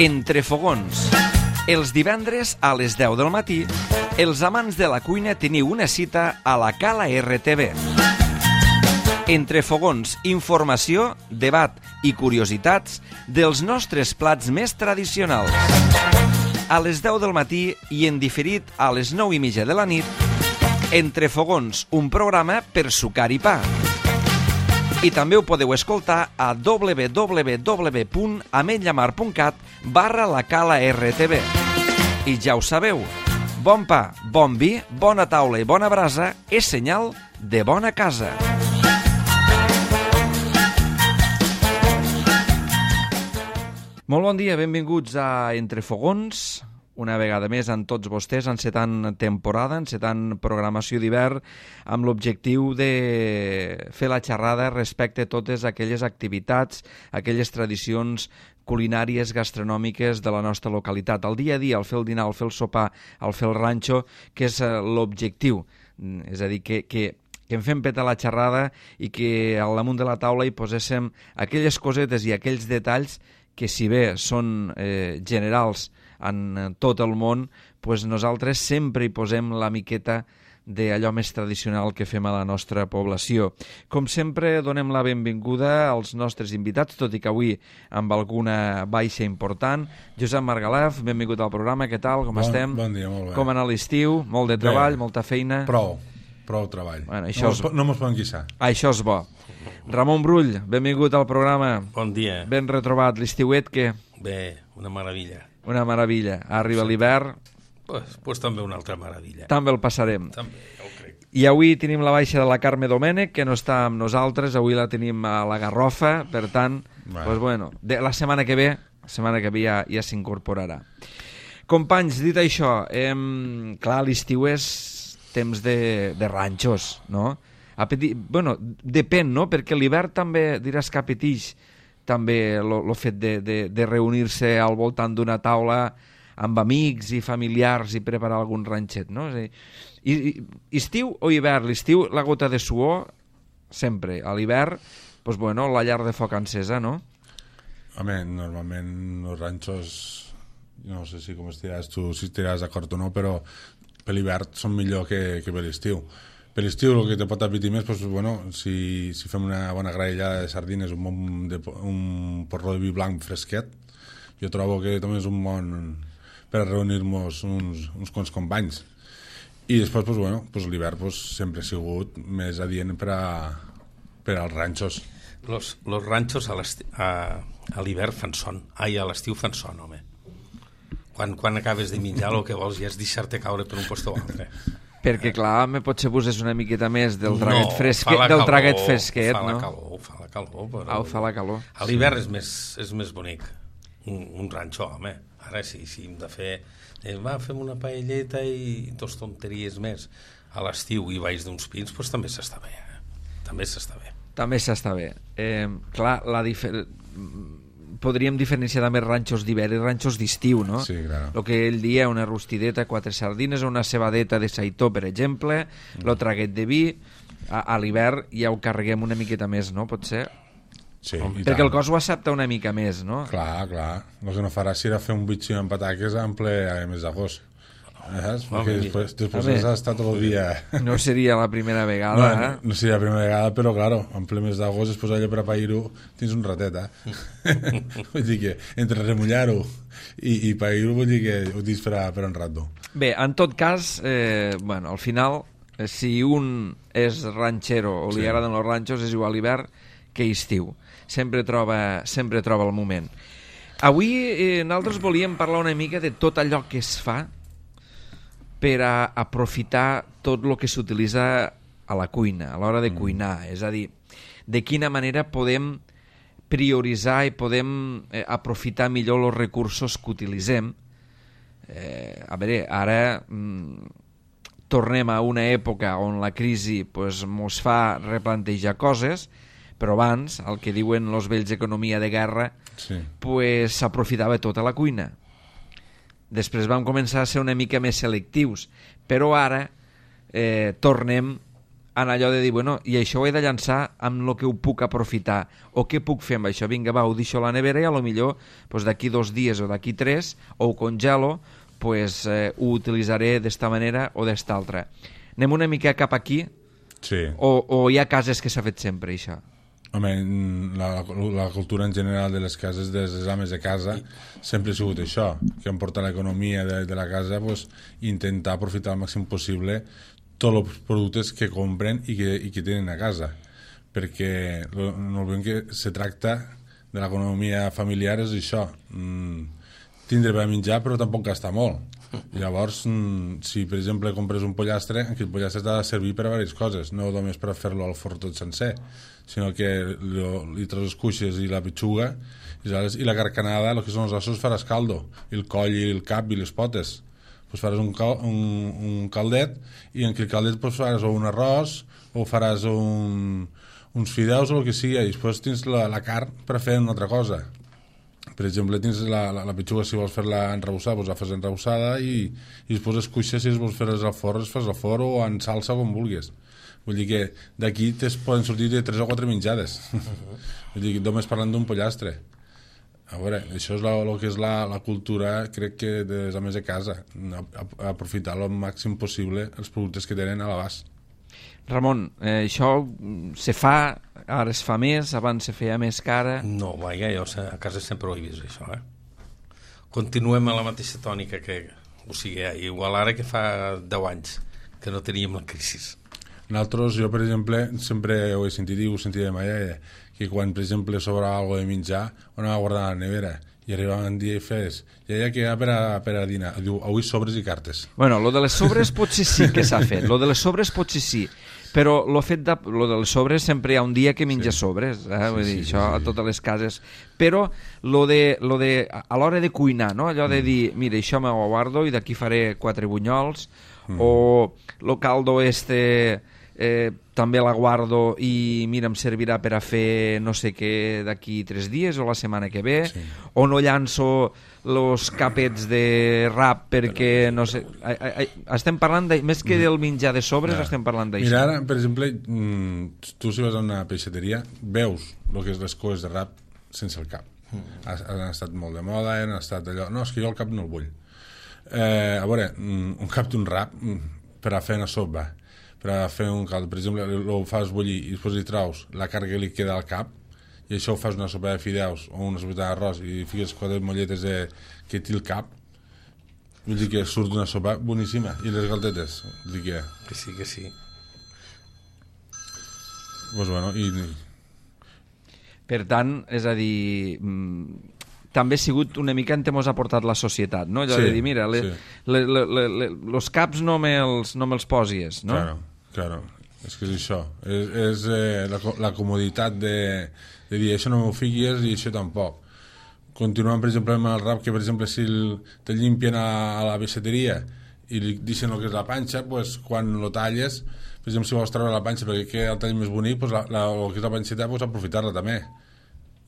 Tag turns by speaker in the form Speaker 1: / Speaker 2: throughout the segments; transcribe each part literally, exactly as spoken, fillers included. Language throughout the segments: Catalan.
Speaker 1: Entre fogons. Els divendres a les deu del matí, els amants de la cuina teniu una cita a la Cala R T V. Entre fogons, informació, debat i curiositats dels nostres plats més tradicionals. A les deu del matí i en diferit a les nou i mitja de la nit, Entre fogons, un programa per sucar i pa. I també ho podeu escoltar a w w w punt ametlllamar punt cat barra la Cala R T V. I ja ho sabeu, bon pa, bon vi, bona taula i bona brasa és senyal de bona casa. Molt bon dia, benvinguts a Entre fogons. Una vegada més amb tots vostès, encetant temporada, encetant programació d'hivern, amb l'objectiu de fer la xerrada respecte a totes aquelles activitats, aquelles tradicions culinàries, gastronòmiques de la nostra localitat. El dia a dia, al fer el dinar, al fer el sopar, al fer el ranxo, que és l'objectiu. És a dir, que, que, que en fem petar la xerrada i que al damunt de la taula hi poséssim aquelles cosetes i aquells detalls que, si bé són eh, generals en tot el món, pues nosaltres sempre hi posem la miqueta d'allò més tradicional que fem a la nostra població. Com sempre, donem la benvinguda als nostres invitats, tot i que avui amb alguna baixa important. Josep Margalef, benvingut al programa, què tal, com
Speaker 2: bon,
Speaker 1: estem?
Speaker 2: Bon dia, molt bé.
Speaker 1: Com anar l'estiu? Molt de treball,
Speaker 2: bé.
Speaker 1: Molta feina?
Speaker 2: Prou, prou treball.
Speaker 1: Bueno, això
Speaker 2: no,
Speaker 1: és...
Speaker 2: no mos poden queixar.
Speaker 1: Això és bo. Ramon Brull, benvingut al programa.
Speaker 3: Bon dia.
Speaker 1: Ben retrobat. L'estiuet, què?
Speaker 3: Bé, una meravella.
Speaker 1: Una meravella. Arriba sí. l'hivern.
Speaker 3: Pues, pues també una altra meravella.
Speaker 1: També el passarem.
Speaker 3: També, ja ho crec.
Speaker 1: I avui tenim la baixa de la Carme Domènech, que no està amb nosaltres. Avui la tenim a la Garrofa. Per tant, bueno. Pues bueno, de, la setmana que ve, la setmana que ve ja, ja s'incorporarà. Companys, dit això, eh, clar, l'estiu és temps de, de ranxos, no? Apeti... Bueno, depèn, no? Perquè l'hivern també diràs que apeteix també el fet de, de, de reunir-se al voltant d'una taula amb amics i familiars i preparar algun ranxet, no? És a dir, i, i, estiu o hivern? L'estiu, la gota de suor, sempre. A l'hivern, pues bueno, la llar de foc encesa, no?
Speaker 2: Home, normalment els ranxos, no sé si com estiràs tu, si estiràs d'acord o no, però per l'hivern són millor que, que per l'estiu. Per l'estiu el que te pot apetir més, pues, bueno, si, si fem una bona graellada de sardines, un, bon de, un porró de vi blanc fresquet, jo trobo que també és un bon per reunir-nos uns, uns quants companys. I després, pues, bueno, pues, l'hivern pues, sempre ha sigut més adient per, a, per als ranxos.
Speaker 3: Los, los ranxos a, a, a l'hivern fan son. Ai, a l'estiu fan son, home. Quan, quan acabes de menjar el que vols ja és deixar-te caure per un posto o altre.
Speaker 1: Perquè, clar, me potser poses una miqueta més del traguet,
Speaker 3: no,
Speaker 1: fresquet,
Speaker 3: calor,
Speaker 1: del traguet fresquet,
Speaker 3: fa
Speaker 1: no?
Speaker 3: La calor, fa la calor, però...
Speaker 1: Ah, fa la calor.
Speaker 3: A l'hivern sí. és, més, és més bonic, un, un ranxo, home. Ara sí, sí, hem de fer... Eh, va, fem una paelleta i dos tonteries més. A l'estiu i baix d'uns pins, doncs també s'està bé. Eh? També s'està bé.
Speaker 1: També s'està bé. Eh, clar, la diferència... podríem diferenciar també ranxos d'hivern i ranxos d'estiu, no?
Speaker 2: Sí, clar.
Speaker 1: El que ell dia, una rostideta, quatre sardines, una cebadeta de saitó, per exemple, mm. el traguet de vi, a, a l'hivern ja ho carreguem una miqueta més, no? Pot ser?
Speaker 2: Sí,
Speaker 1: Com,
Speaker 2: i
Speaker 1: perquè
Speaker 2: tant.
Speaker 1: el cos ho accepta una mica més, no?
Speaker 2: Clar, clar. El que no farà serà fer un bitxí amb pataques en ple a mes d'agost. Saps? Perquè després, després has estat tot el dia...
Speaker 1: No seria la primera vegada,
Speaker 2: no,
Speaker 1: eh?
Speaker 2: No, no seria la primera vegada, però, claro, en ple mes d'agost, després allà per a pair-ho, tens un ratet, eh? Vull dir que entre remullar-ho i, i pair-ho, vull dir que ho tens per, a, per un rato.
Speaker 1: Bé, en tot cas, eh, bueno, al final, eh, si un és ranxero o li sí. agraden els ranxos, és igual hivern que estiu. Sempre troba, sempre troba el moment. Avui eh, nosaltres volíem parlar una mica de tot allò que es fa per a aprofitar tot el que s'utilitza a la cuina, a l'hora de mm. cuinar. És a dir, de quina manera podem prioritzar i podem eh, aprofitar millor els recursos que utilitzem. Eh, a veure, ara mm, tornem a una època on la crisi pues, mos fa replantejar coses, però abans, el que diuen els vells economia de guerra,
Speaker 2: sí.
Speaker 1: pues, s'aprofitava tota la cuina. Després vam començar a ser una mica més selectius, però ara eh, tornem en allò de dir, bueno, i això ho he de llançar amb el que ho puc aprofitar, o què puc fer amb això? Vinga, va, ho deixo a la nevera i a lo millor pues, d'aquí dos dies o d'aquí tres, o ho congelo, pues, eh, ho utilitzaré d'esta manera o d'esta altra. Anem una mica cap aquí,
Speaker 2: Sí.
Speaker 1: o, o hi ha cases que s'ha fet sempre, això?
Speaker 2: Home, la, la cultura en general de les cases, de les ames de casa, sempre ha sigut això, que han portat l'economia de, de la casa, pues, intentar aprofitar al màxim possible tots els productes que compren i que, i que tenen a casa, perquè lo, no veiem que se tracta de l'economia familiar, és això, mm, tindre per menjar però tampoc gastar molt. Llavors, mm, si per exemple compres un pollastre, aquell pollastre t'ha de servir per a diverses coses, no només per a fer-lo al forn tot sencer, sinó que lo, li treus les cuixes i la petxuga i, i la carcanada, el que són els ossos, faràs caldo, i el coll i el cap i les potes, pues faràs un, cal, un, un caldet, i en aquell caldet pues faràs o un arròs o faràs un, uns fideus o el que sigui, i després tens la, la carn per fer una altra cosa. Per exemple, tens la, la, la petxuga, si vols fer-la enrebossada, doncs la fas enrebossada, i, i després les cuixes, si vols fer-les al forn, les fas al forn o en salsa, com vulguis. Vull dir que d'aquí poden sortir de tres o quatre menjades. Uh-huh. Vull dir que només parlant d'un pollastre. A veure, això és el que és la, la cultura, crec que de les ames de casa, aprofitar el màxim possible els productes que tenen a l'abast.
Speaker 1: Ramon, eh, això se fa, ara es fa més, abans se feia més cara...
Speaker 3: No, vaja, jo a casa sempre ho he vist, això, eh? Continuem a la mateixa tònica que... O sigui, igual ara que fa deu anys que no teníem la crisi.
Speaker 2: Nosaltres, jo, per exemple, sempre ho he sentit i ho sentia de mai, eh, que quan, per exemple, sobrava alguna de menjar, ho anava a guardar a la nevera, i arribava un dia i fes, ja hi ha que hi ha per a, per a dinar. Diu, avui sobres i cartes.
Speaker 1: Bueno, lo de les sobres potser sí que s'ha fet, lo de les sobres potser sí, però lo fet de, lo de les sobres sempre hi ha un dia que menja sí. sobres, eh? Vull dir, sí, sí, això sí. A totes les cases, però lo de, lo de a l'hora de cuinar, no? Allò de dir, mira, això me ho guardo i d'aquí faré quatre bunyols, mm. o lo caldo este... Eh, també la guardo i mira, em servirà per a fer no sé què d'aquí tres dies o la setmana que ve, sí. O no llanço los capets de rap perquè no sé, ai, ai, estem parlant de, més que del menjar de sobres, ja. Estem parlant d'això.
Speaker 2: Mira, ara, per exemple, tu si vas a una peixateria veus el que és les coes de rap sense el cap. Mm. Han estat molt de moda, han estat allò, no, és que jo el cap no el vull. Eh, a veure, un cap d'un rap per a fer una sopa, per a fer un caldo, per exemple, ho fas bullir i després hi traus la carn que li queda al cap i això ho fas una sopa de fideus o una sopa d'arròs i fiques quatre molletes de, que té el cap, vull dir que surt una sopa boníssima, i les galtetes, vull dir que...
Speaker 3: Que sí, que sí.
Speaker 2: Pues bueno, i...
Speaker 1: Per tant, és a dir... també ha sigut una mica en què mos ha portat la societat, no? Allò sí, de dir, mira, le, sí. le, le, le, le, los caps no me'ls no me'ls posies, no?
Speaker 2: Claro, claro, és que és això. És, és eh, la, la comoditat de, de dir, això no m'ho fiquis i això tampoc. Continuant, per exemple, amb el rap, que, per exemple, si el, te llimpien a, a la peixateria i li deixen el que és la panxa, pues, quan lo talles, per exemple, si vols treure la panxa perquè queda el tall més bonic, pues, la, la, el que és la panxeta, pues, aprofitar-la també.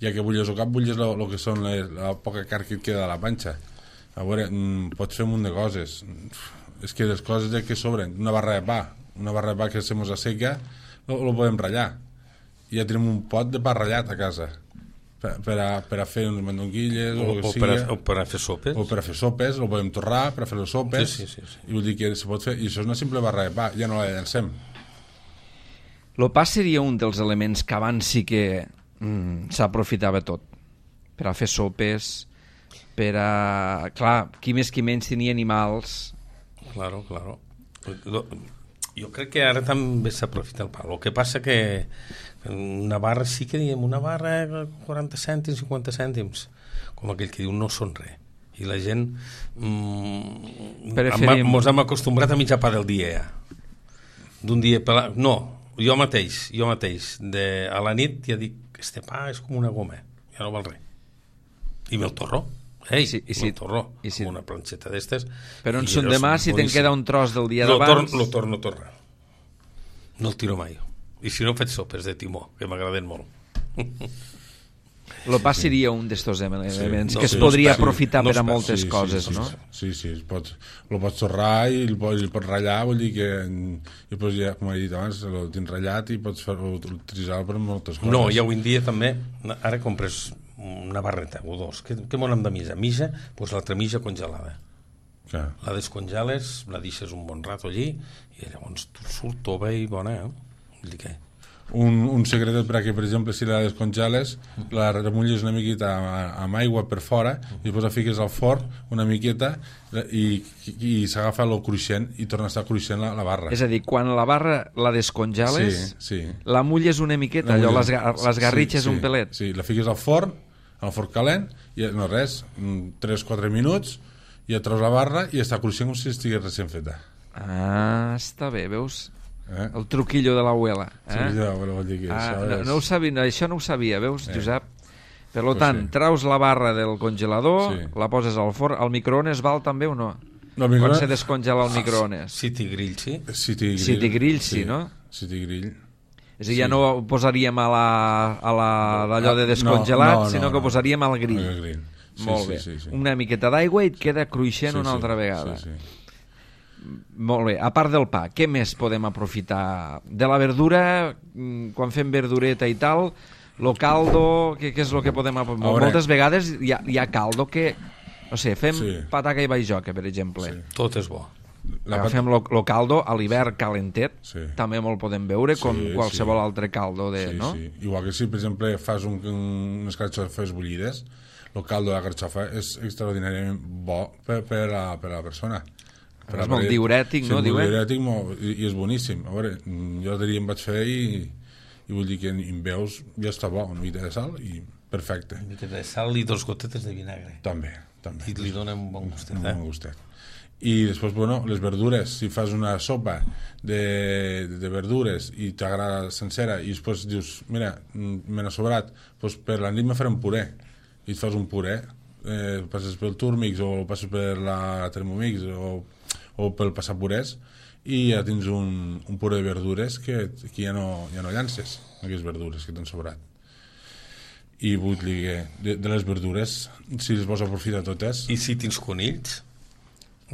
Speaker 2: Ja que bulles el cap, bulles el que són les, la poca carn que et queda de la panxa. A veure, mm, pots fer un munt de coses. És que les coses que sobren, una barra de pa, una barra de pa que se mos asseca, lo podem ratllar. I ja tenim un pot de pa ratllat a casa, per, per, a, per a fer unes mandonguilles o, o, o,
Speaker 3: per a, o per a fer sopes.
Speaker 2: O per a fer sopes, lo podem torrar per a fer les sopes.
Speaker 3: Sí, sí, sí, sí.
Speaker 2: I vull dir que se pot fer, i això és una simple barra de pa, ja no la llancem.
Speaker 1: El pa seria un dels elements que abans sí que mm, s'aprofitava tot, per a fer sopes, per a... Clar, qui més qui menys tenia animals.
Speaker 3: Claro, claro. Jo crec que ara també s'aprofita el pa. El que passa que una barra sí que diem, una barra quaranta cèntims, cinquanta cèntims, com aquell que diu no són res. I la gent mm, Preferim... mos hem acostumbrat a mitjar pa del dia ja. D'un dia per... No, jo mateix, jo mateix, de, a la nit ja dic, este pa és com una goma, ja no val res. I me'l torro. Ei, sí, i si, me'l torro, i si, amb una planxeta d'estes.
Speaker 1: Però en son demà, si te'n queda un tros del dia
Speaker 3: lo
Speaker 1: d'abans...
Speaker 3: Tor, lo torno a tornar. No el tiro mai. I si no faig sopes de timó, que m'agraden molt.
Speaker 1: El pa seria un d'estos elements
Speaker 2: Sí.
Speaker 1: que
Speaker 3: No,
Speaker 1: es
Speaker 3: sí,
Speaker 1: podria
Speaker 3: no es per-
Speaker 1: aprofitar
Speaker 3: no
Speaker 1: per
Speaker 3: es
Speaker 1: a
Speaker 3: per-
Speaker 1: moltes
Speaker 2: Sí, sí,
Speaker 1: coses,
Speaker 2: sí,
Speaker 1: no?
Speaker 2: Sí, sí, el pots, lo pots torrar i el pots, el pots ratllar, vull dir que i després ja, com he dit abans, el tens ratllat i pots fer, utilitzar-lo per moltes coses.
Speaker 3: No, i avui en dia també, ara compres una barreta o dos, què, què monem de misa? Misa, doncs l'altra misa congelada.
Speaker 2: Clar.
Speaker 3: La descongeles, la deixes un bon rato allí i llavors surt tova i bona, eh? Vull dir que...
Speaker 2: Un, un secret perquè, per exemple, si la descongeles, la remulles una miqueta amb, amb aigua per fora i després la fiques al forn una miqueta i, i, i s'agafa el cruixent i torna a estar cruixent la, la barra.
Speaker 1: És a dir, quan la barra la descongeles,
Speaker 2: Sí, sí.
Speaker 1: la mulles una miqueta,
Speaker 2: La
Speaker 1: allò,
Speaker 2: mulles-
Speaker 1: les, ga- les garritxes
Speaker 2: sí,
Speaker 1: un
Speaker 2: sí,
Speaker 1: pelet.
Speaker 2: Sí, la fiques al forn, al forn calent, i no res, tres quatre minuts, i et treus la barra i està cruixent com si estigués recent feta.
Speaker 1: Ah, està bé, veus?
Speaker 2: Eh?
Speaker 1: El truquillo de l'abuela.
Speaker 2: Sí,
Speaker 1: Eh?
Speaker 2: ja, bueno, vol dir que
Speaker 1: Ah,
Speaker 2: això
Speaker 1: no,
Speaker 2: és...
Speaker 1: no ho sabia, no, això no ho sabia, veus,
Speaker 2: Eh.
Speaker 1: Josep? Per
Speaker 2: Pues
Speaker 1: tant,
Speaker 2: sí.
Speaker 1: traus la barra del congelador,
Speaker 2: Sí.
Speaker 1: la poses al forn, al microones val també o no?
Speaker 2: No,
Speaker 1: Quan
Speaker 2: microones-
Speaker 1: se descongela el microones?
Speaker 3: City Grill, sí.
Speaker 2: City Grill.
Speaker 1: City Grill, sí, no?
Speaker 2: City Grill.
Speaker 1: És a dir, ja
Speaker 2: Sí.
Speaker 1: no ho posaríem a la, a la, d'allò de
Speaker 2: No,
Speaker 1: descongelat,
Speaker 2: no, no,
Speaker 1: sinó que
Speaker 2: no.
Speaker 1: ho posaríem al grill.
Speaker 2: Al grill. Sí,
Speaker 1: Molt
Speaker 2: sí,
Speaker 1: bé.
Speaker 2: sí, sí.
Speaker 1: Una miqueta d'aigua i et queda cruixent
Speaker 2: Sí,
Speaker 1: una
Speaker 2: sí,
Speaker 1: altra vegada.
Speaker 2: Sí, sí.
Speaker 1: Molt bé. A part del pa, què més podem aprofitar? De la verdura, mm, quan fem verdureta i tal, lo caldo, què, què és el que podem aprofitar?
Speaker 2: veure.
Speaker 1: Moltes vegades hi ha, hi ha caldo que, no sé, fem
Speaker 2: Sí.
Speaker 1: pataca i baijoca, per exemple.
Speaker 2: Sí.
Speaker 3: Tot és bo.
Speaker 2: La pat-
Speaker 1: Agafem lo, lo caldo a l'hivern calentet,
Speaker 2: Sí.
Speaker 1: també me'l podem veure com
Speaker 2: Sí,
Speaker 1: qualsevol
Speaker 2: sí.
Speaker 1: altre caldo de,
Speaker 2: Sí,
Speaker 1: no?
Speaker 2: sí. Igual que si, per exemple, fas un, un, unes carxofes bullides, el caldo de la carxofa és extraordinàriament bo per, per, a, per a la persona. Per
Speaker 1: És
Speaker 2: a-
Speaker 1: molt diurètic,
Speaker 2: sí,
Speaker 1: no,
Speaker 2: molt
Speaker 1: diuen?
Speaker 2: diurètic molt, i, i és boníssim. A veure, jo l'altre dia em vaig fer i, i vull dir que en veus ja està bo, una mica de sal i perfecte.
Speaker 3: Una mica de sal i dos gotetes de vinagre.
Speaker 2: També, també.
Speaker 3: I li dona un bon gustet,
Speaker 2: Un
Speaker 3: eh?
Speaker 2: bon gustet. I després, bueno, les verdures, si fas una sopa de, de verdures i t'agrada sencera i després dius, mira, mm, me n'ha sobrat, doncs per la nit me faré un puré i et fas un puré, eh, passes pel Turmix o passes per la Thermomix o, o pel passapurés i ja tens un, un puré de verdures que, que ja, no, ja no llances aquelles verdures que t'han sobrat. I vull dir que de, de les verdures, si les vols aprofitar totes,
Speaker 3: I si tens conills,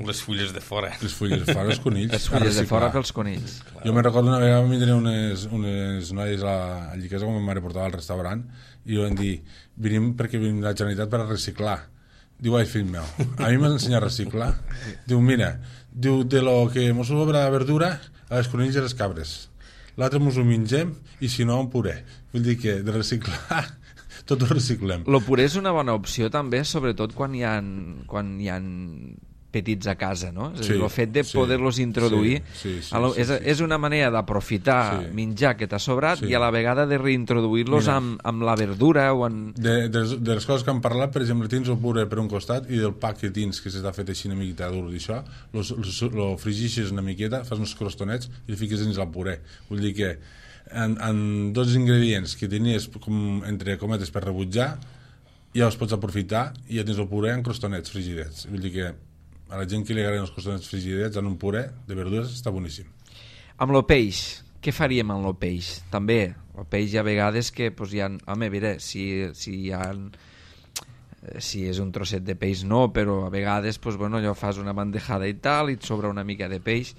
Speaker 3: les fulles de fora.
Speaker 2: les fulles de fora, els conills.
Speaker 1: Les
Speaker 2: a
Speaker 1: fulles de
Speaker 2: reciclar.
Speaker 1: fora pels conills.
Speaker 2: Jo me'n recordo una vegada vam vindre unes, unes noies a, a Lliquesa, com ma mare portava al restaurant, i van dir, venim perquè venim de la Generalitat per a reciclar. Diu, ai, fill meu, a mi m'has ensenyat a reciclar? Diu, mira, diu, de lo que mos sobra de verdura, a les conills i les cabres. L'altre mos ho mengem, i si no, un puré. Vull dir que de reciclar, tot ho reciclem.
Speaker 1: Lo puré és una bona opció també, sobretot quan hi ha, quan hi ha petits a casa, no? És a dir,
Speaker 2: Sí,
Speaker 1: el fet de
Speaker 2: sí,
Speaker 1: poder-los introduir
Speaker 2: sí, sí, sí,
Speaker 1: a lo,
Speaker 2: sí,
Speaker 1: és,
Speaker 2: sí.
Speaker 1: és una manera d'aprofitar
Speaker 2: Sí.
Speaker 1: menjar que t'ha sobrat
Speaker 2: Sí.
Speaker 1: i a la vegada de reintroduir-los
Speaker 2: Mira.
Speaker 1: amb, amb la verdura o en...
Speaker 2: De, de, les, de les coses que hem parlat, per exemple, tens el puré per un costat i del pa que tens, que s'està fet així una miqueta dur d'això, lo frigixes una miqueta, fas uns crostonets i el fiques dins el puré. Vull dir que en, en dos ingredients que tenies com, entre cometes per rebutjar, ja els pots aprofitar i ja tens el puré en crostonets frigidets. Vull dir que a la gent que li agraden els crostonets frigidets en un puré de verdures està boníssim.
Speaker 1: Amb lo peix, què faríem amb lo peix? També, el peix hi ha vegades que pues, hi ha... Home, mira, si, si hi ha... Si és un trosset de peix no, però a vegades pues, bueno, allò fas una bandejada i tal i et sobra una mica de peix,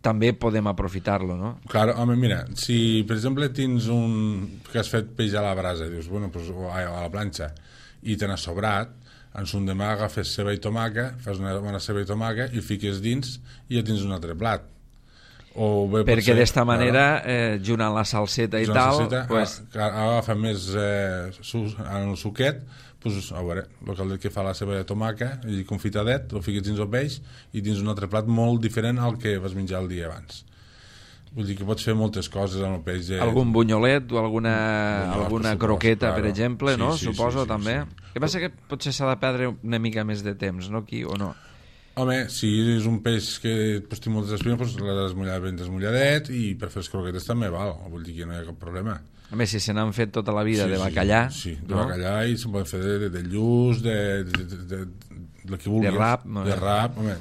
Speaker 1: també podem aprofitar-lo, no?
Speaker 2: Clar, home, mira, si per exemple tens un... que has fet peix a la brasa, dius, bueno, pues, o a, a la planxa, i te n'has sobrat, en son demà agafes ceba i tomaca, fas una bona ceba i tomaca i el fiques dins i ja tens un altre plat. O bé,
Speaker 1: Perquè
Speaker 2: potser,
Speaker 1: d'esta manera,
Speaker 2: claro,
Speaker 1: eh, juntant la salseta i
Speaker 2: una
Speaker 1: tal,
Speaker 2: salsita,
Speaker 1: pues,
Speaker 2: a- agafa més eh, su, en el suquet, pues, a veure, el caldet que fa la ceba de tomaca i confitadet, el fiques dins el peix i tens un altre plat molt diferent al que vas menjar el dia abans. Vull dir que pots fer moltes coses amb el peix. Eh?
Speaker 1: algun bunyolet o alguna,
Speaker 2: Bunyolet,
Speaker 1: alguna
Speaker 2: per supost,
Speaker 1: croqueta,
Speaker 2: claro.
Speaker 1: per exemple,
Speaker 2: Sí,
Speaker 1: no?
Speaker 2: sí,
Speaker 1: Suposo,
Speaker 2: sí, sí,
Speaker 1: també.
Speaker 2: sí.
Speaker 1: El que passa que potser s'ha de perdre una mica més de temps, no, aquí, o no?
Speaker 2: Home, si és un peix que pues, té moltes espines, pues, l'has desmullat ben desmulladet i per fer les croquetes també val, vull dir que no hi ha cap problema.
Speaker 1: A més, si se n'han fet tota la vida
Speaker 2: Sí,
Speaker 1: de
Speaker 2: sí,
Speaker 1: bacallà,
Speaker 2: Sí, de
Speaker 1: no?
Speaker 2: bacallà i se'n poden fer de, de, de lluç, de, de, de, de, de, de que vulguis.
Speaker 1: De rap,
Speaker 2: De rap, home.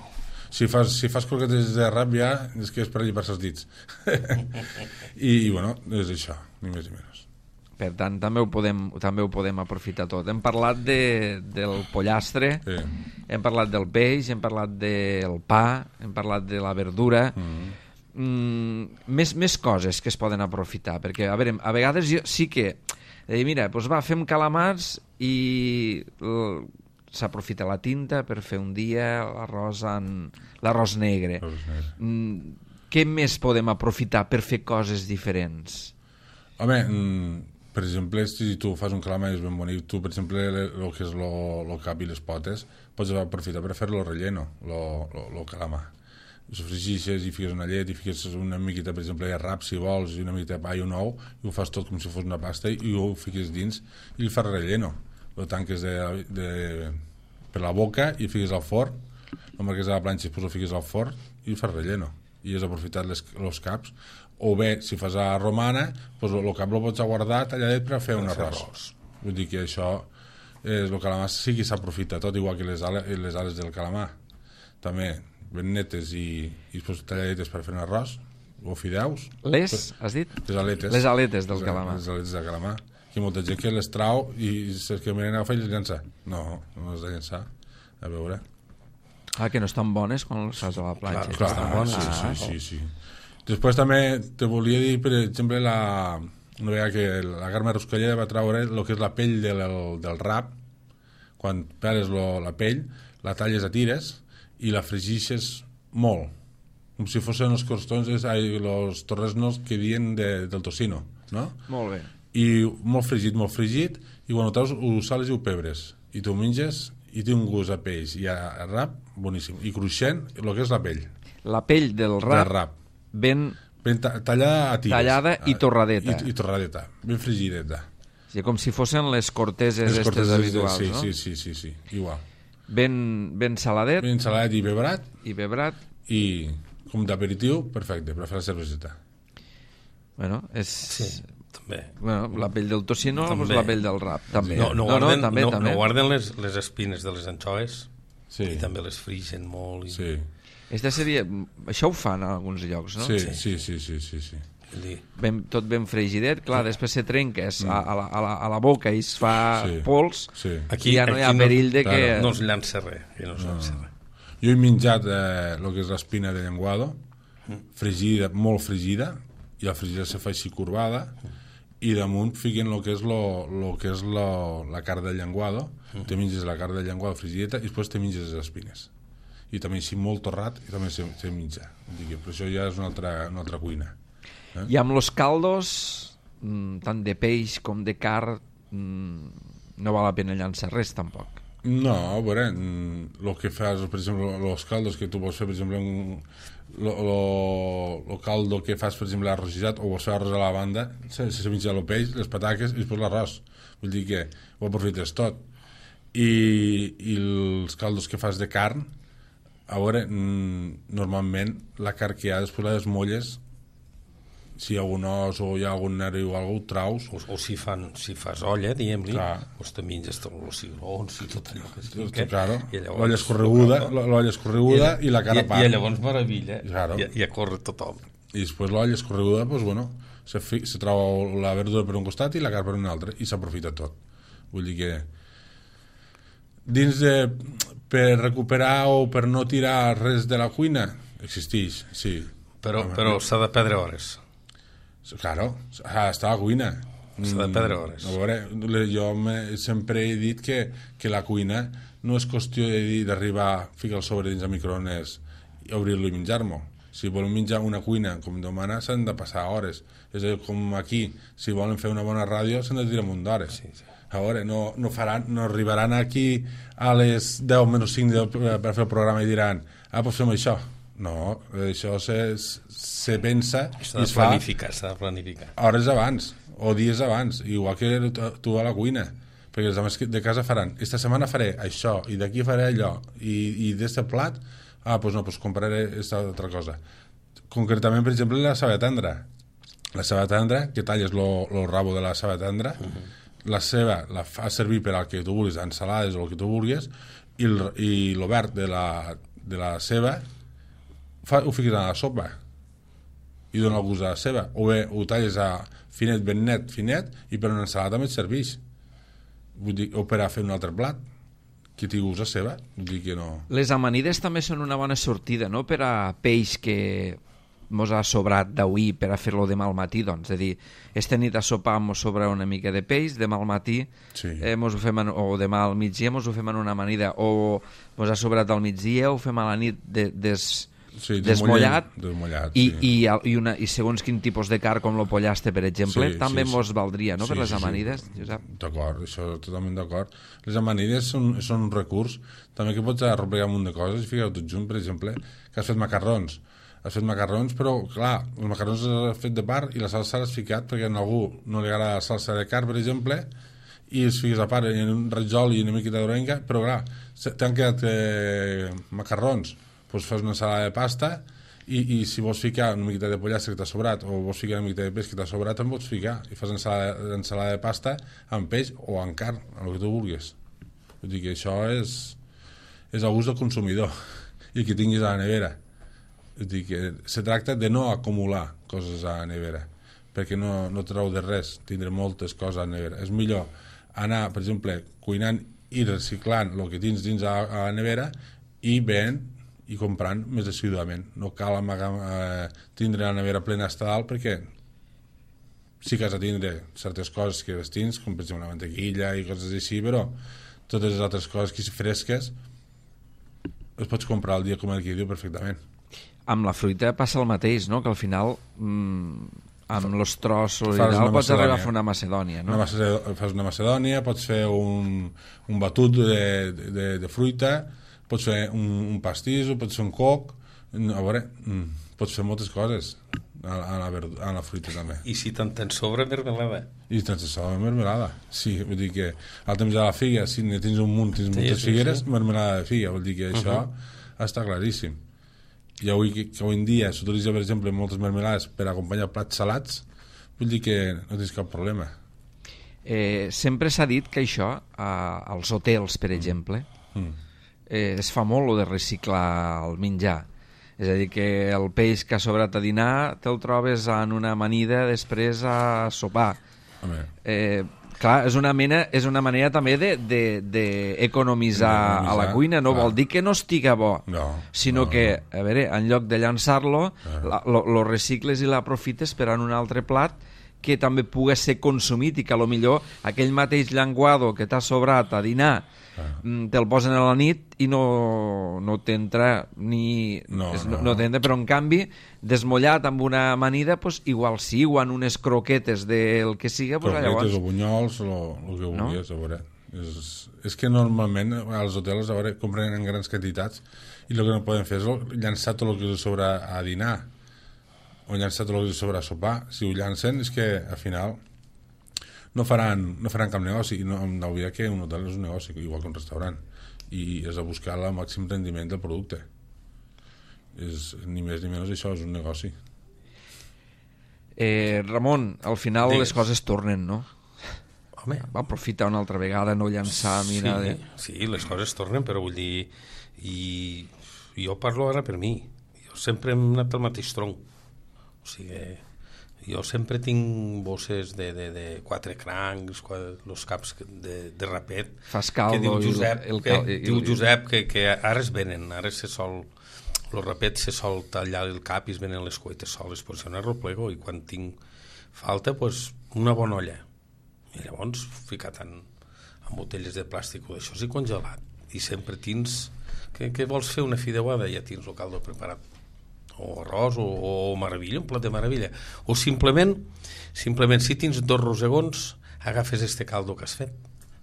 Speaker 2: Si fas, si fas croquetes de rap ja és que és per allipar-se els dits. I, I, bueno, és això, ni més ni menys.
Speaker 1: Per tant, també ho podem, també ho podem aprofitar tot. Hem parlat de, del pollastre,
Speaker 2: Sí.
Speaker 1: hem parlat del peix, hem parlat del pa, hem parlat de la verdura... Mm. Mm, més, més coses que es poden aprofitar, perquè a, veure, a vegades jo sí que eh, mira, doncs va, fem calamars i l- s'aprofita la tinta per fer un dia l'arròs en... l'arròs negre.
Speaker 2: Arròs negre.
Speaker 1: Mm, què més podem aprofitar per fer coses diferents?
Speaker 2: Home, mm, per exemple, si tu fas un calamar i és ben bonic, tu, per exemple, el que és el cap i les potes, pots aprofitar per fer-lo relleno, el calamar. Ho sofregixes i fiques una llet i fiques una miqueta, per exemple, de rap, si vols, i una miqueta de pa i un ou, i ho fas tot com si fos una pasta i ho fiques dins i el fas relleno. Lo tanques de, de, per la boca i fiques al forn, lo marques a la planxa i després ho fiques al forn i el fas relleno. I has aprofitat les, els caps. O bé, si fas a romana, pues el cap lo pots guardar talladet per a fer un arròs. Vull dir que això, eh, el calamar sí que s'aprofita tot, igual que les ales, les ales del calamar. També ben netes i, i després talladetes per fer un arròs o fideus.
Speaker 1: Les, has dit?
Speaker 2: Les aletes.
Speaker 1: Les aletes del
Speaker 2: les,
Speaker 1: calamar.
Speaker 2: Les aletes del calamar. Hi ha molta gent que les trau i saps que miren agafa i les llença. No, no les de llençar. A veure.
Speaker 1: Ah, que no estan bones quan les fas a la planxa.
Speaker 2: Clar,
Speaker 1: estan
Speaker 2: clar,
Speaker 1: bones.
Speaker 2: sí,
Speaker 1: Ah,
Speaker 2: sí, sí, sí. Després també te volia dir, per exemple, la, una vegada que la Carme Ruscalleda va treure el que és la pell del, del rap. Quan peles lo, la pell, la talles a tires i la fregixes molt, com si fossin els costons, els torresnos que dien de, del tocino, no?
Speaker 1: Molt bé.
Speaker 2: I molt fregit, molt fregit, i quan ho treus ho sales i ho pebres, i tu menges i té un gust a peix i a, a rap boníssim, i cruixent el que és la pell.
Speaker 1: La pell del rap,
Speaker 2: Del rap.
Speaker 1: ben
Speaker 2: Ben ta tallada a tires.
Speaker 1: tallada i torradeta.
Speaker 2: I, i torradeta, ben frigideta.
Speaker 1: Sí, com si fossin les corteses
Speaker 2: Les
Speaker 1: estes
Speaker 2: corteses,
Speaker 1: habituals,
Speaker 2: sí,
Speaker 1: no?
Speaker 2: sí, sí, sí, sí, igual.
Speaker 1: Ben, ben saladet
Speaker 2: Ben saladet i bebrat,
Speaker 1: i bebrat.
Speaker 2: i com d'aperitiu, perfecte, per fer la cerveseta.
Speaker 1: Bueno, és...
Speaker 3: Sí, també.
Speaker 1: Bueno, la pell del tocino o
Speaker 3: També.
Speaker 1: la pell del rap, també.
Speaker 3: No, no, guarden,
Speaker 1: no, també,
Speaker 3: no,
Speaker 1: també.
Speaker 3: no guarden les, les espines de les anxoves
Speaker 2: Sí,
Speaker 3: i també les frixen molt. I,
Speaker 2: sí,
Speaker 1: Esta seria... Això ho fan en alguns llocs, no?
Speaker 2: sí, sí, sí, sí, sí, sí.
Speaker 3: vull dir,
Speaker 1: Ben, tot ben fregidet, clar, després se trenca es, a, a, la, a, la, a la boca i es fa
Speaker 2: Sí.
Speaker 1: pols,
Speaker 2: Sí.
Speaker 3: aquí,
Speaker 1: i ja no hi ha
Speaker 3: aquí
Speaker 1: perill de que...
Speaker 2: claro,
Speaker 3: no es llança res. Aquí no es llança res.
Speaker 2: Jo he menjat eh, el que és l'espina de llenguado, fregida, molt fregida, i la fregida se fa així corbada, i damunt fiquen el que és, lo, lo que és lo, la carn del llenguado, te menges la carn del llenguado fregideta i després te menges les espines. I també així molt torrat i també se, se menja. Vull dir que per això ja és una altra, una altra cuina. Eh?
Speaker 1: I amb los caldos, mm, tant de peix com de carn, mm, no val la pena llançar res, tampoc.
Speaker 2: No, a veure, el que fas, per exemple, els caldos que tu vols fer, per exemple, el caldo que fas, per exemple, arròs o vols fer arròs a la banda, se, se menja el peix, les pataques i després l'arròs. Vull dir que ho aprofites tot. I, i els caldos que fas de carn, a veure, normalment la carn que hi ha després la desmolles, si hi ha algun os o hi ha algun nervi o alguna cosa, ho traus.
Speaker 3: O, o si, fan, si fas olla, diguem-li,
Speaker 2: Clar.
Speaker 3: doncs te menges tots els cigrons i tot allò que es
Speaker 2: Tot,
Speaker 3: fica.
Speaker 2: claro.
Speaker 3: I llavors-
Speaker 2: L'olla escorreguda, l'olla escorreguda i, la cara a
Speaker 3: I,
Speaker 2: part.
Speaker 3: I llavors meravella,
Speaker 2: Claro.
Speaker 3: i, i a córrer tothom.
Speaker 2: I després l'olla escorreguda, doncs, bueno, se, fi, se troba la verdura per un costat i la carn per un altre, i s'aprofita tot. Vull dir que dins de... per recuperar o per no tirar res de la cuina, existeix, sí.
Speaker 3: Però,
Speaker 2: Home,
Speaker 3: però s'ha de perdre hores.
Speaker 2: Claro, ah, està a la cuina.
Speaker 3: S'ha de perdre hores.
Speaker 2: A veure, le- jo me, sempre he dit que, que la cuina no és qüestió de dir- d'arribar, ficar el sobre dins el microones i obrir-lo i menjar-m'ho. Si volen menjar una cuina com demana, s'han de passar hores. És a dir, com aquí, si volen fer una bona ràdio, s'han de tirar un munt d'hores.
Speaker 3: Sí, sí.
Speaker 2: A veure, no, no, faran, no arribaran aquí a les deu menys cinc de, per fer el programa i diran, ah, doncs fem això. No, això se, se pensa
Speaker 3: S'ha
Speaker 2: i
Speaker 3: de
Speaker 2: es fa
Speaker 3: planificar, s'ha de planificar.
Speaker 2: hores abans o dies abans, igual que tu a la cuina, perquè els homes de casa faran, esta setmana faré això i d'aquí faré allò i, i d'este plat, ah, doncs no, doncs compraré esta altra cosa. Concretament, per exemple, la ceba tendra. La ceba tendra, que talles el rabo de la ceba tendra, uh -huh. la ceba la fa servir per al que tu vulguis, ensalades o el que tu vulguis, i el, i el verd de la, de la ceba fa, ho fiques a la sopa. i dona el gust a la ceba, o bé ho talles a finet, ben net, finet, i per una ensalada també et serveix. Vull dir, o per a fer un altre plat que tingui gust a ceba. Vull dir que no...
Speaker 1: Les amanides també són una bona sortida, no?, per a peix que mos ha sobrat d'avui per a fer-lo demà al matí, doncs. És a dir, esta nit a sopar mos sobra una mica de peix, demà al matí,
Speaker 2: Sí.
Speaker 1: eh, mos ho fem en, o demà al migdia mos ho fem en una amanida, o mos ha sobrat al migdia, ho fem a la nit de, des,
Speaker 2: Sí,
Speaker 1: desmollat,
Speaker 2: desmollat,
Speaker 1: i,
Speaker 2: sí.
Speaker 1: i, i, una, i segons quin tipus de carn, com lo pollaste, per exemple,
Speaker 2: Sí,
Speaker 1: també
Speaker 2: sí, sí.
Speaker 1: mos valdria, no?,
Speaker 2: Sí,
Speaker 1: per les
Speaker 2: sí, sí.
Speaker 1: amanides, Josep.
Speaker 2: D'acord, això totalment d'acord. Les amanides són, són un recurs també que pots arropegar un munt de coses. Fiqueu tot junt, per exemple, que has fet macarrons. Has fet macarrons, però, clar, els macarrons els has fet de part i la salsa l'has ficat perquè a algú no li agrada la salsa de carn, per exemple, i els fiques a part en un ratjol i una miqueta d'orenga, però, clar, t'han quedat eh, macarrons, doncs fas una ensalada de pasta i, i si vols ficar una miqueta de pollastre que t'ha sobrat o vols ficar una miqueta de peix que t'ha sobrat, en pots ficar i fas ensalada, ensalada de pasta amb peix o amb carn, el que tu vulguis. Vull dir que això és, és el gust del consumidor i que tinguis a la nevera. Vull dir que se tracta de no acumular coses a la nevera, perquè no, no treu de res tindre moltes coses a la nevera. És millor anar, per exemple, cuinant i reciclant el que tens dins a, a la nevera i venent i comprant més assiduament. No cal amagar, eh, tindre la nevera plena hasta dalt, perquè sí que has de tindre certes coses que les tens, com per exemple una mantequilla i coses així, però totes les altres coses que si fresques les pots comprar el dia com el que diu perfectament.
Speaker 1: Amb la fruita passa el mateix, no?, que al final mmm, amb els trossos i
Speaker 2: Fas
Speaker 1: tal
Speaker 2: una
Speaker 1: pots arribar a
Speaker 2: macedònia.
Speaker 1: fer una macedònia, no?
Speaker 2: Una macedònia, fas una macedònia, pots fer un, un batut de, de, de fruita, pots fer un, un pastís, pots fer un coc, a veure, mm, pots fer moltes coses a, a, la, verdu- a la fruita també.
Speaker 3: I si te'n tens sobre, mermelada.
Speaker 2: I tens això de mermelada, sí, vull dir que al temps de la figa, si ne tens un munt, tens
Speaker 3: Sí,
Speaker 2: moltes
Speaker 3: sí,
Speaker 2: figueres,
Speaker 3: sí.
Speaker 2: mermelada de figa, vol dir que això està claríssim. I avui, que, que avui en dia s'utilitza, per exemple, moltes mermelades per acompanyar plats salats, vull dir que no tens cap problema.
Speaker 1: Eh, sempre s'ha dit que això, a, als hotels, per exemple,
Speaker 2: Mm.
Speaker 1: eh, es fa molt lo de reciclar el menjar. És a dir, que el peix que ha sobrat a dinar te'l trobes en una amanida després a sopar.
Speaker 2: Home,
Speaker 1: Eh, clar, és una, mena, és una manera també d'economitzar de, de a la cuina. No
Speaker 2: clar.
Speaker 1: vol dir que no estiga bo,
Speaker 2: No,
Speaker 1: sinó
Speaker 2: no,
Speaker 1: que, a veure, en lloc de llançar-lo,
Speaker 2: Ah.
Speaker 1: la- lo, lo recicles i l'aprofites per en un altre plat que també pugui ser consumit i que a lo millor aquell mateix llenguado que t'ha sobrat a dinar
Speaker 2: Ah.
Speaker 1: mm, te'l posen a la nit i no, no t'entra ni...
Speaker 2: No,
Speaker 1: és-
Speaker 2: no.
Speaker 1: no t'entra, però en canvi desmollat amb una amanida pues, igual sí, o en unes croquetes del que siga, pues,
Speaker 2: croquetes
Speaker 1: llavors
Speaker 2: o bunyols, el que
Speaker 1: No?
Speaker 2: vulguis, a veure. És, és que normalment als hotels a veure, compren en grans quantitats i el que no poden fer és llançar tot el que els sobra a dinar o llançar tot el que els sobra a sopar. Si ho llancen és que al final no faran, no faran cap negoci i no hem d'oblidar que un hotel és un negoci igual que un restaurant i és a buscar el màxim rendiment del producte. És, ni més ni menys això és un negoci.
Speaker 1: eh, Ramon, al final
Speaker 3: Digues.
Speaker 1: les coses tornen, no?
Speaker 3: Home,
Speaker 1: Va aprofitar una altra vegada, no llançar, mira...
Speaker 3: sí,
Speaker 1: De...
Speaker 3: sí, les coses tornen, però vull dir... I jo parlo ara per mi. Jo sempre hem anat al mateix tronc. O sigui, jo sempre tinc bosses de, de, de quatre crancs, els caps de, de rapet.
Speaker 1: Fas caldo
Speaker 3: que diu
Speaker 1: i el-
Speaker 3: Josep,
Speaker 1: el
Speaker 3: que,
Speaker 1: cal- i-
Speaker 3: diu
Speaker 1: i-
Speaker 3: Josep que, que ara es venen, ara se sol... El rapet se sol tallar el cap i es venen les cuetes soles, però això no replego, i quan tinc falta, pues, una bona olla. I llavors ficat en, en botelles de plàstic o d'això i congelat. I sempre tens... Que, que vols fer una fideuada? Ja tens el caldo preparat. O arròs, o, o meravella, un plat de meravella. O simplement, simplement si tens dos rosegons, agafes este caldo que has fet,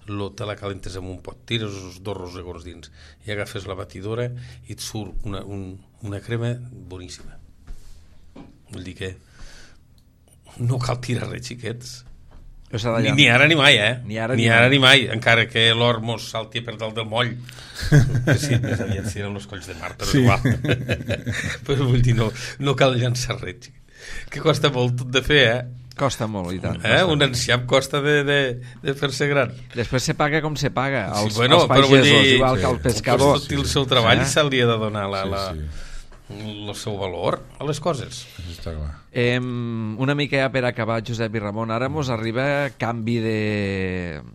Speaker 3: lo, te la calentes en un pot, tires els dos rosegons dins i agafes la batidora i et surt una, un, una crema boníssima. Vull dir que no cal tirar res, xiquets.
Speaker 1: O s'ha de
Speaker 3: Ni,
Speaker 1: llan-
Speaker 3: ni ara ni mai, eh?
Speaker 1: Ni ara
Speaker 3: ni,
Speaker 1: ni
Speaker 3: ara
Speaker 1: mai.
Speaker 3: ni mai, encara que l'or mos salti per dalt del moll. Que sí, més aviat si eren els colls de mar, però
Speaker 2: Sí.
Speaker 3: sí. Igual. Però vull dir, no, no cal llançar res, xiquet. Que costa molt tot de fer, eh?
Speaker 1: Costa molt, i tant.
Speaker 3: eh?
Speaker 1: costa
Speaker 3: Un
Speaker 1: molt.
Speaker 3: enciam costa de, de, de fer-se gran.
Speaker 1: Després se paga com se paga, als,
Speaker 3: Sí, bueno,
Speaker 1: als
Speaker 3: però vull
Speaker 1: pagesos,
Speaker 3: dir,
Speaker 1: igual
Speaker 2: sí.
Speaker 1: que al pescador.
Speaker 3: Pues tot el seu treball
Speaker 1: Eh?
Speaker 3: se li ha de donar la...
Speaker 2: Sí,
Speaker 3: la...
Speaker 2: sí.
Speaker 3: el seu valor a les coses.
Speaker 2: Això està clar.
Speaker 1: Eh, una mica ja per acabar, Josep i Ramon, ara mos arriba canvi de...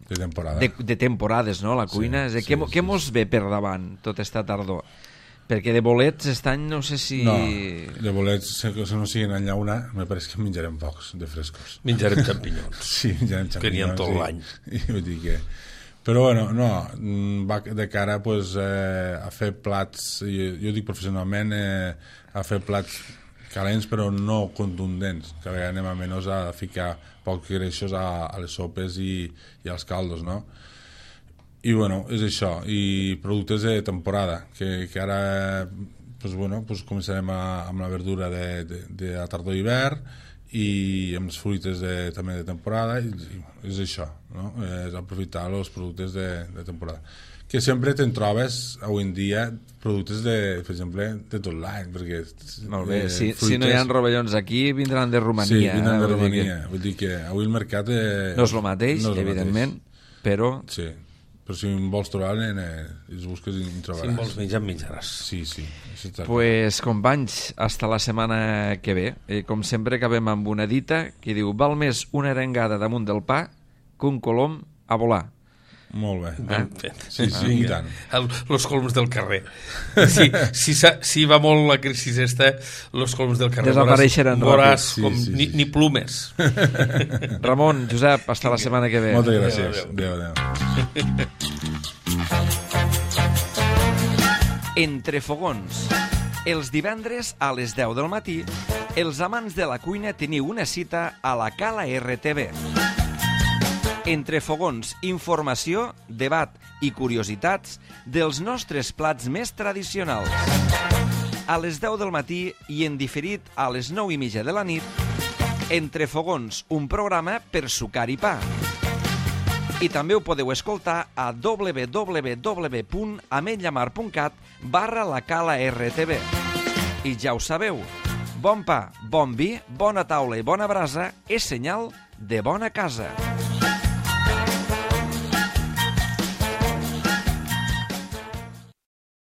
Speaker 2: De temporada.
Speaker 1: De, de temporades, no?, la cuina.
Speaker 2: Sí,
Speaker 1: Sí,
Speaker 2: sí,
Speaker 1: què,
Speaker 2: sí,
Speaker 1: què mos ve per davant tota esta tardor? Perquè de bolets aquest any no sé si...
Speaker 2: No, de bolets, si no siguin en llauna, me pareix que menjarem pocs, de frescos.
Speaker 3: Menjarem xampinyons.
Speaker 2: Sí, menjarem xampinyons.
Speaker 3: Que n'hi ha tot l'any.
Speaker 2: I vull dir que... Però bueno, no, va de cara pues, eh, a fer plats, jo, jo dic professionalment, eh, a fer plats calents però no contundents, que a vegades anem a menys a ficar pocs greixos a, a les sopes i, i als caldos, no? I bueno, és això, i productes de temporada, que, que ara pues, bueno, pues, començarem a, amb la verdura de, de, de la tardor i hivern, i amb les fruites de, també de temporada, i, i és això, no? És aprofitar els productes de, de temporada, que sempre te'n trobes avui en dia productes de, per exemple, de tot l'any, perquè
Speaker 1: Molt bé,
Speaker 2: eh,
Speaker 1: si,
Speaker 2: fruites...
Speaker 1: si no hi ha rovellons aquí vindran de Romania.
Speaker 2: Sí, vindran de
Speaker 1: eh?
Speaker 2: Romania,
Speaker 1: que...
Speaker 2: vull dir que avui el mercat eh,
Speaker 1: no és el mateix,
Speaker 2: no és el
Speaker 1: evidentment,
Speaker 2: mateix.
Speaker 1: Però...
Speaker 2: Sí, però si en vols trobar, eh, els busques i en trobaràs.
Speaker 3: Si en vols menjar, menjaràs.
Speaker 2: Sí, sí.
Speaker 1: Pues, companys, hasta la setmana que ve. Eh, com sempre, acabem amb una dita que diu: val més una arengada damunt del pa que un colom a volar.
Speaker 2: Molt bé.
Speaker 3: Ben fet.
Speaker 2: Sí, sí, i tant.
Speaker 3: El, los colms del carrer. Si, si, si va molt la crisi esta, los colms del carrer
Speaker 1: desapareixeran
Speaker 3: veuràs
Speaker 1: ràpid.
Speaker 3: com
Speaker 2: Sí, sí,
Speaker 3: ni,
Speaker 2: sí.
Speaker 3: ni plumes.
Speaker 1: Ramon, Josep, hasta la setmana que ve.
Speaker 2: Moltes gràcies. Adéu, adéu.
Speaker 1: Entre fogons. Els divendres a les deu del matí, els amants de la cuina teniu una cita a la Cala R T V. Entre fogons, informació, debat i curiositats dels nostres plats més tradicionals. A les deu del matí i en diferit a les nou i mitja de la nit, Entre fogons, un programa per sucar i pa. I també ho podeu escoltar a w w w punt ametlllamar punt cat barra la Cala R T V. I ja ho sabeu, bon pa, bon vi, bona taula i bona brasa és senyal de bona casa.